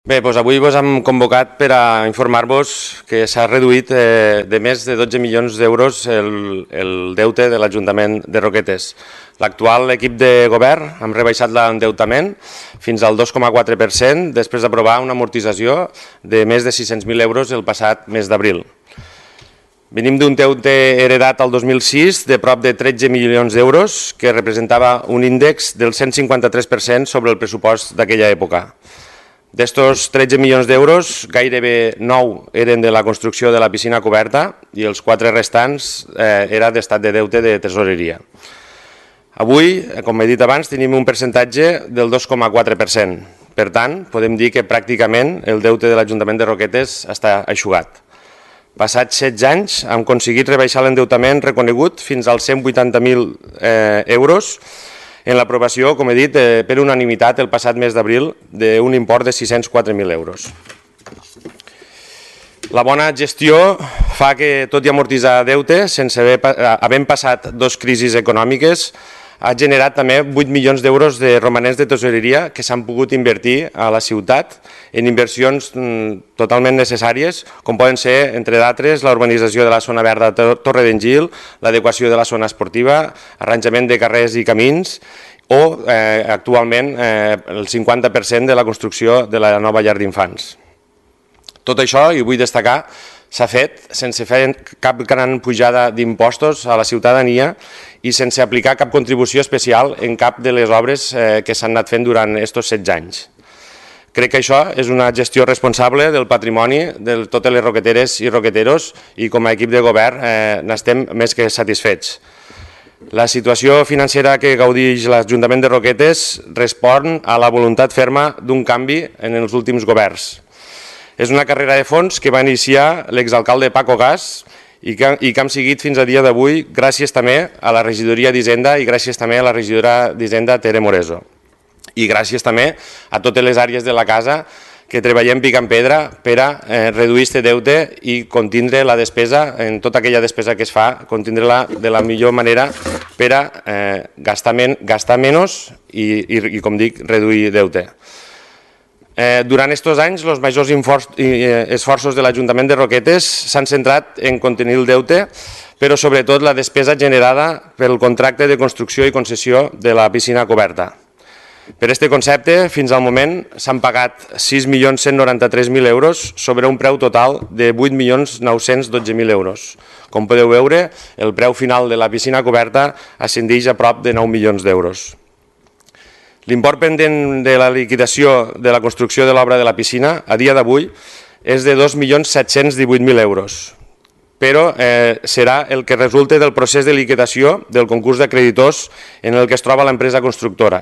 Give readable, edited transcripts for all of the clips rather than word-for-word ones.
Bé, doncs avui us hem convocat per a informar-vos que s'ha reduït de més de 12 milions d'euros el deute de l'Ajuntament de Roquetes. L'actual equip de govern hem rebaixat l'endeutament fins al 2,4% després d'aprovar una amortització de més de 600.000 euros el passat mes d'abril. Venim d'un deute heredat al 2006 de prop de 13 milions d'euros que representava un índex del 153% sobre el pressupost d'aquella època. D'estos 13 milions d'euros, gairebé 9 eren de la construcció de la piscina coberta i els 4 restants era d'estat de deute de tesoreria. Avui, com he dit abans, tenim un percentatge del 2,4%. Per tant, podem dir que pràcticament el deute de l'Ajuntament de Roquetes està eixugat. Passats 16 anys hem aconseguit rebaixar l'endeutament reconegut fins als 180.000 euros en l'aprovació, com he dit, per unanimitat el passat mes d'abril d'un import de 604.000 euros. La bona gestió fa que, tot i amortitzar deute, sense haver passat 2 crisis econòmiques, ha generat també 8 milions d'euros de romanents de tesoreria que s'han pogut invertir a la ciutat en inversions totalment necessàries, com poden ser, entre d'altres, la urbanització de la zona verda Torre d'Engil, l'adequació de la zona esportiva, arranjament de carrers i camins o, actualment, el 50% de la construcció de la nova llar d'infants. Tot això, i vull destacar, s'ha fet sense fer cap gran pujada d'impostos a la ciutadania i sense aplicar cap contribució especial en cap de les obres que s'han anat fent durant aquests 16 anys. Crec que això és una gestió responsable del patrimoni de totes les roqueteres i roqueteros i com a equip de govern n'estem més que satisfets. La situació financera que gaudeix l'Ajuntament de Roquetes respon a la voluntat ferma d'un canvi en els últims governs. És una carrera de fons que va iniciar l'exalcalde Paco Gas i que hem seguit fins a dia d'avui gràcies també a la regidoria d'Hisenda i gràcies també a la regidora d'Hisenda Tere Moreso. I gràcies també a totes les àrees de la casa que treballem pic en pedra per a reduir aquest deute i contindre la despesa, en tota aquella despesa que es fa, contindre-la de la millor manera per a gastar menys i, com dic, reduir deute. Durant aquests anys, els majors esforços de l'Ajuntament de Roquetes s'han centrat en contenir el deute, però sobretot la despesa generada pel contracte de construcció i concessió de la piscina coberta. Per aquest concepte, fins al moment, s'han pagat 6.193.000 euros sobre un preu total de 8.912.000 euros. Com podeu veure, el preu final de la piscina coberta ascendeix a prop de 9 milions d'euros. L'import pendent de la liquidació de la construcció de l'obra de la piscina a dia d'avui és de 2.718.000 euros, però serà el que resulta del procés de liquidació del concurs d'acreditors en el que es troba l'empresa constructora.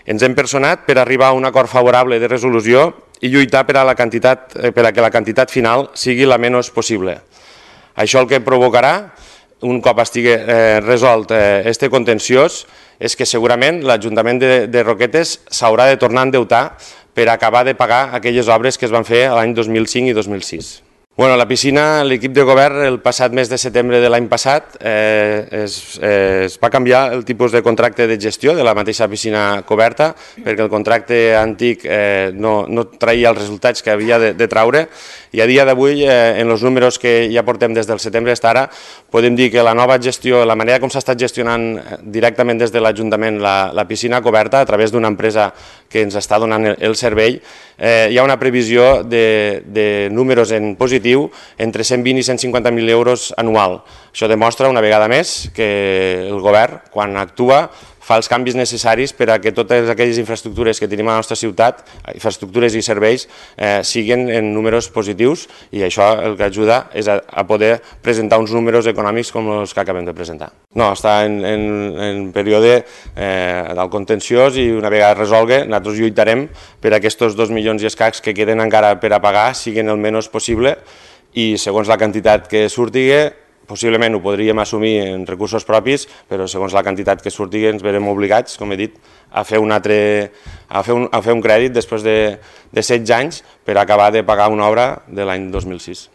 Ens hem personat per arribar a un acord favorable de resolució i lluitar per a que la quantitat final sigui la menys possible. Això el que provocarà, un cop estigui resolt aquest contenciós, és que segurament l'Ajuntament de Roquetes s'haurà de tornar a endeutar per acabar de pagar aquelles obres que es van fer l'any 2005 i 2006. La piscina, l'equip de govern, el passat mes de setembre de l'any passat es va canviar el tipus de contracte de gestió de la mateixa piscina coberta perquè el contracte antic no traia els resultats que havia de traure i a dia d'avui, en els números que ja portem des del setembre fins ara, podem dir que la nova gestió, la manera com s'ha estat gestionant directament des de l'Ajuntament la piscina coberta a través d'una empresa que ens està donant el servei, hi ha una previsió de números en positiu entre 120 i 150.000 euros anual. Això demostra una vegada més que el govern, quan actua, fa els canvis necessaris per a que totes aquelles infraestructures que tenim a la nostra ciutat, infraestructures i serveis, siguin en números positius i això el que ajuda és a poder presentar uns números econòmics com els que acabem de presentar. No, està en període del contenciós i una vegada resolgui, nosaltres lluitarem per a aquests 2 milions i escacs que queden encara per a pagar siguin el menys possible i segons la quantitat que surti, possiblement ho podríem assumir en recursos propis, però segons la quantitat que surti ens verem obligats, com he dit, a fer un crèdit després de 16 anys per acabar de pagar una obra de l'any 2006.